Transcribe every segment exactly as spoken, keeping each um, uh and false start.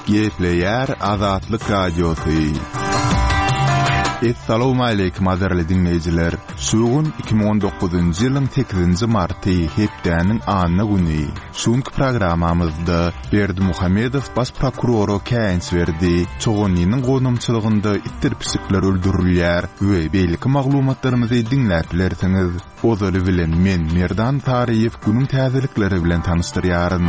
Gepleýär Azatlyk Radiosy. Essalawmaleýkim gadyrly diňleýjiler! Şu gün iki müň on dokuzynjy ýylyň sekizinji marty, hepdäniň anna güni. Şu günki programmamyzda Berdimuhamedow baş prokurora käýinç berdi, Çoganlynyň gonamçylygynda itdir pişikler öldürilýär we beýleki maglumatlarymyzy diňläp bilersiňiz. Ozaly bilen men Merdan Saryýew günüň täzelikleri bilen tanyşdyrýaryn.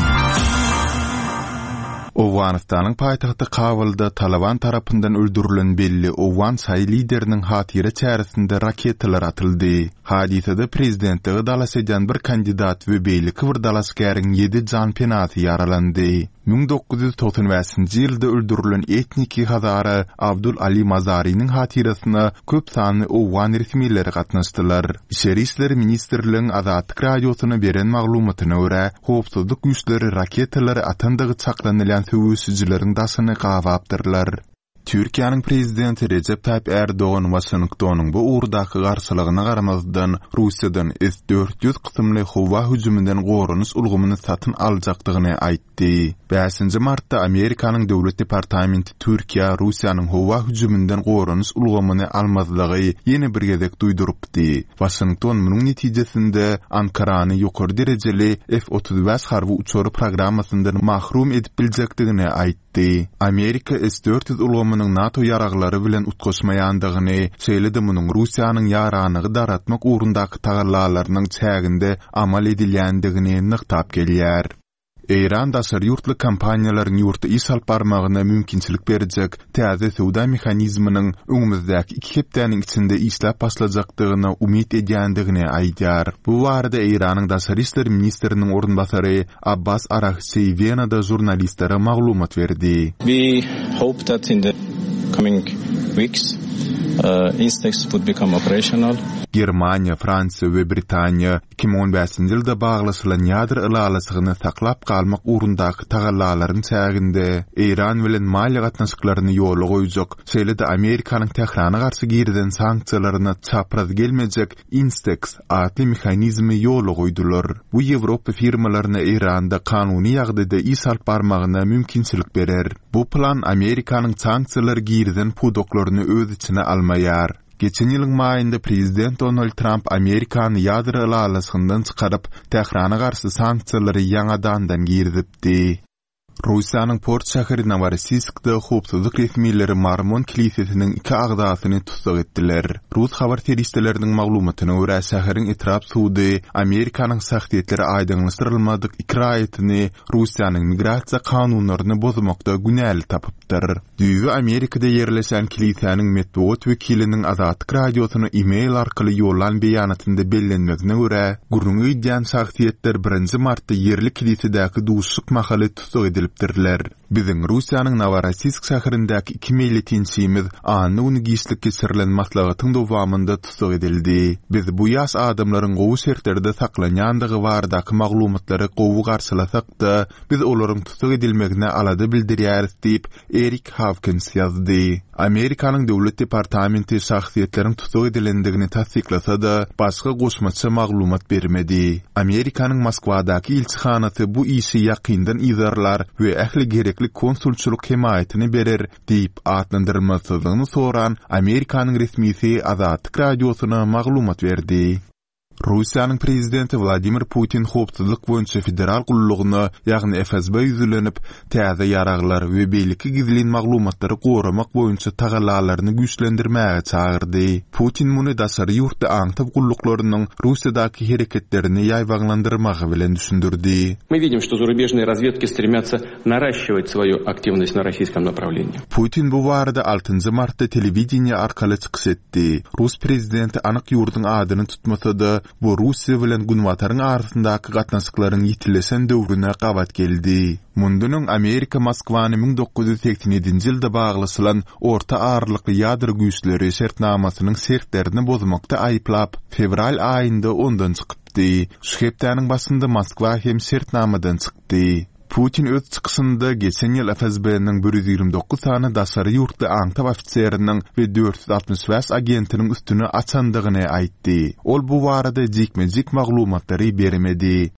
Owganystanyň paýtagty Kabulda Taliban tarapyndan öldürilen belli owgan şaýy lideriniň hatyra çäresinde raketalar atyldy. Hadysada prezidentlige dalaş edýän bir kandidat we beýleki bir dalaşgäriň ýedi janpenasy ýaralandy. Müň dokuz ýüz togsan bäşinji ýylda öldürilen etniki hazara Abdul Ali Mazarynyň hatyrasyna köp sanly owgan resmileri gatnaşdylar. Içeri işler ministrligiň Azatlyk Radiosyna beren maglumatyna görä, howpsuzlyk güýçleri raketalary atandygy çaklanylýan söweşijileriň daşyny gabapdyrlar. Türkiýäniň prezidenti Rejep Taýyp Erdogan Waşingtonyň bu ugurdaky garşylygyna garamazdan, Russiýadan S dört ýüz kysymly howa hüjüminden goranyş ulgamyny satyn aljakdygyny aýtdy. Bäşinji martda Amerikanyň Döwlet departamenti Türkiýä Russiýanyň howa hüjüminden goranyş ulgamyny almazlygy ýene bir gezek duýdurypdy. Waşington munuň netijesinde Ankarany ýokary derejeli F otuz bäş harby uçary programmasyndan mahrum edip biljekdigini aýtdy. Amerika S dört ýüz ulgamynyň NATO ýaraglary bilen utgaşmaýandygyny, şeýle-de munuň Russiýanyň ýaranygy daratmak ugrundaky tagallalarynyň çäginde amal edilýändigini nygtap gelýär. Eýran daşary ýurtly kompaniýalaryň ýurtda iş alyp barmagyna mümkinçilik berjek täze söwda mehanizminiň öňümizdäki iki hepdäniň içinde işläp başlajakdygyna umyt edýändigini aýdýar. Bu barada Eýranyň daşary işler ministriniň orunbasary Abbas Aragçi Wenada žurnalistlere maglumat berdi. We hope that in the coming weeks, uh, Instex would become operational. Germaniýa, Fransiýa we Britaniýa iki müň on bäşinji ýylda baglaşylan ýadro ylalaşygyny saklap galmak ugrundaky tagallalaryň çäginde Eýran bilen maliýe gatnaşyklaryny ýola goýjak, şeýle-de Amerikanyň Tährana garşy girizen sanksiýalaryna çapraz gelmejek Instex atly mehanizmi ýola goýdular. Bu Ýewropa firmalaryna Eýranda kanuny ýagdaýda iş alyp barmagyna mümkinçilik berer. Bu plan Amerikanyň sanksiýalary girizen pudaklaryny öz içine almaýar. Geçen ýylyň maýynda prezident Donald Trump Amerikany ýadro ylalaşygyndan çykaryp, Tährana garşy sanksiýalary ýaňadandan girizipdi. Russiýanyň port şäheri Noworossiyskda howpsuzlyk resmileri Mormon kilisesiniň iki agzasyny tussag etdiler. Rus habar serişdeleriniň maglumatyna görä, şäheriň etrap sudy Amerikanyň şahsyýetleri aýdyňlaşdyrylmadyk iki raýatyny Russiýanyň migrasiýa kanunlaryny bozmakda günäli tapypdyr. Düýbi Amerikada ýerleşen kilisäniň metbugat wekiliniň Azatlyk Radiosyna e-mail arkaly ýollan beýanatynda bellenmegine görä, gürrüňi gidýän şahsyýetler birinji martda ýerli kilisedäki duşuşyk mahaly tussag edilipdirler. Biziň Russiýanyň Noworossiysk şäherindäki iki meýletinçimiz anna güni giçlik geçirilen maslahatyň dowamynda tussag edildi. Biz bu ýaş adamlaryň gowy şertlerde saklanýandygy baradaky maglumatlary gowy garşylasak-da, biz olaryň tussag edilmegine alada bildirýäris diýip, Erik Hawkins ýazdy. Amerikanyň Döwlet departamenti şahsyýetleriň tussag edilendigini tassyklasa-da, başga goşmaça maglumat bermedi. Amerikanyň Moskwadaky ilçihanasy bu işi ýakyndan yzarlar we ähli gerekli konsulçylyk hemaýatyny berer diýip atlandyrylmasyzlygyny soran Amerikanyň resmisi Azatlyk Radiosyna maglumat berdi. Russiýanyň prezidenti Wladimir Putin howpsuzlyk boýunça federal gullugyna, ýagny F S B ýüzlenip, täze ýaraglar we beýleki gizlin maglumatlary goramak boýunça tagallalaryny güýçlendirmäge çagyrdy. Putin muny daşary ýurtly aňtaw gulluklarynyň Russiýadaky hereketlerini ýaýbaňlandyrmagy bilen düşündirdi. Мы видим, что зарубежные разведки стремятся наращивать свою активность на российском направлении. Putin bu barada altynjy martda telewideniýe arkaly çykyş etdi. Rus prezidenti anyk ýurduň adyny tutmasa-da, bu Russiýa bilen Günbataryň arasyndaky gatnaşyklaryň ýitileşen döwrüne gabat geldi. Mundan öň Amerika Moskwany müň dokuz ýüz segsen ýedinji ýylda baglaşylan orta aralykly ýadro güýçleri şertnamasynyň şertlerini bozmakda aýyplap, fewral aýynda ondan çykypdy. Şu hepdäniň başynda Moskwa hem şertnamadan çykdy. Putin öz çykyşynda geçen ýyl F S B-niň bir ýüz ýigrimi dokuz sany daşary ýurtly aňtaw ofiseriniň we dört ýüz altmyş bäş agentiniň üstüni açandygyny aýtdy. Ol bu barada jikme-jik maglumatlary bermedi.